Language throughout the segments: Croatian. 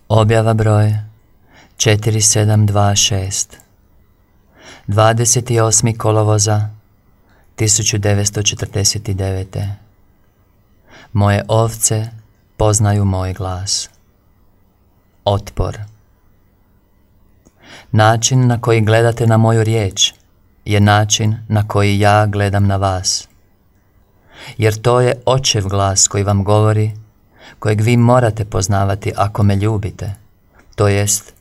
Objava broj 4726 28. kolovoza 1949. Moje ovce poznaju moj glas. Otpor. Način na koji gledate na moju riječ je način na koji ja gledam na vas. Jer to je Očev glas koji vam govori, kojeg vi morate poznavati ako me ljubite, to jest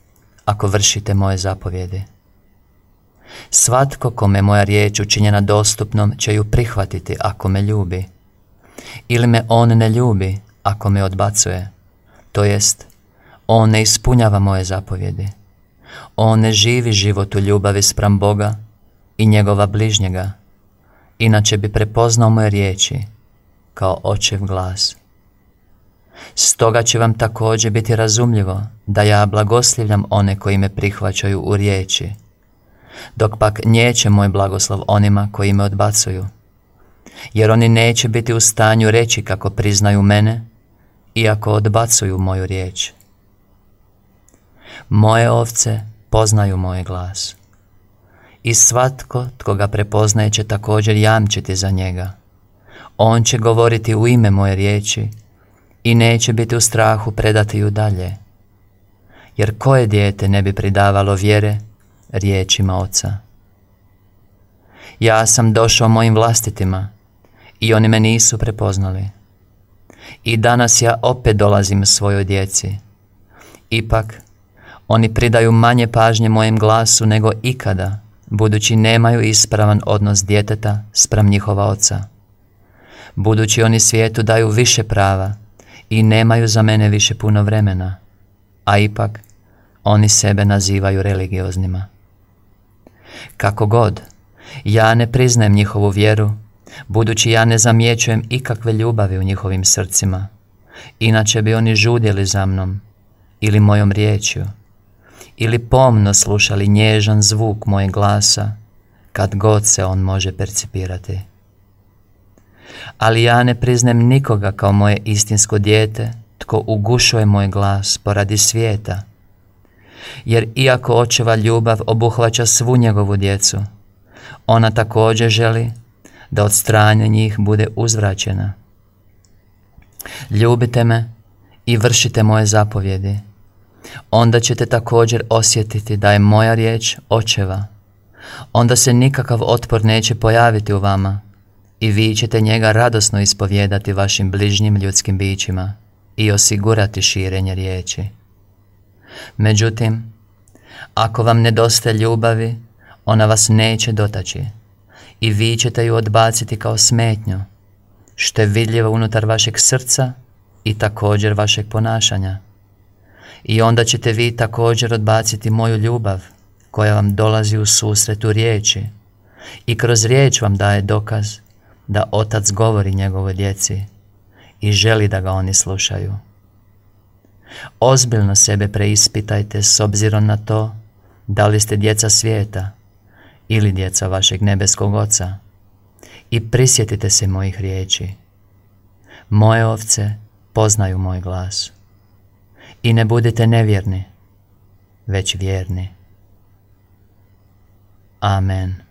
ako vršite moje zapovjedi. Svatko kome moja riječ učinjena dostupnom će ju prihvatiti ako me ljubi, ili me on ne ljubi ako me odbacuje, to jest on ne ispunjava moje zapovjedi. On ne živi život u ljubavi spram Boga i njegova bližnjega, inače bi prepoznao moje riječi kao Očev glas. Stoga će vam također biti razumljivo da ja blagoslivljam one koji me prihvaćaju u riječi, dok pak nijeće moj blagoslov onima koji me odbacuju, jer oni neće biti u stanju reći kako priznaju mene, iako odbacuju moju riječ. Moje ovce poznaju moj glas, i svatko tko ga prepoznaje će također jamčiti za njega. On će govoriti u ime moje riječi i neće biti u strahu predati ju dalje. Jer koje dijete ne bi pridavalo vjere riječima Oca? Ja sam došao mojim vlastitima i oni me nisu prepoznali. I danas ja opet dolazim svojoj djeci. Ipak, oni pridaju manje pažnje mojem glasu nego ikada, budući nemaju ispravan odnos djeteta spram njihova oca. Budući oni svijetu daju više prava i nemaju za mene više puno vremena, a ipak oni sebe nazivaju religioznima. Kako god, ja ne priznajem njihovu vjeru, budući ja ne zamjećujem ikakve ljubavi u njihovim srcima, inače bi oni žudjeli za mnom ili mojom riječju, ili pomno slušali nježan zvuk mojeg glasa, kad god se on može percipirati. Ali ja ne priznajem nikoga kao moje istinsko dijete, tko ugušuje moj glas poradi svijeta, jer iako Očeva ljubav obuhvaća svu njegovu djecu, ona također želi da od strane njih bude uzvraćena. Ljubite me i vršite moje zapovjedi, onda ćete također osjetiti da je moja riječ Očeva. Onda se nikakav otpor neće pojaviti u vama i vi ćete njega radosno ispovijedati vašim bližnjim ljudskim bićima i osigurati širenje riječi. Međutim, ako vam nedostaje ljubavi, ona vas neće dotaći i vi ćete ju odbaciti kao smetnju, što je vidljivo unutar vašeg srca i također vašeg ponašanja. I onda ćete vi također odbaciti moju ljubav koja vam dolazi u susret u riječi i kroz riječ vam daje dokaz da Otac govori njegovoj djeci i želi da ga oni slušaju. Ozbiljno sebe preispitajte s obzirom na to da li ste djeca svijeta ili djeca vašeg nebeskog Oca i prisjetite se mojih riječi. Moje ovce poznaju moj glas. I ne budite nevjerni, već vjerni. Amen.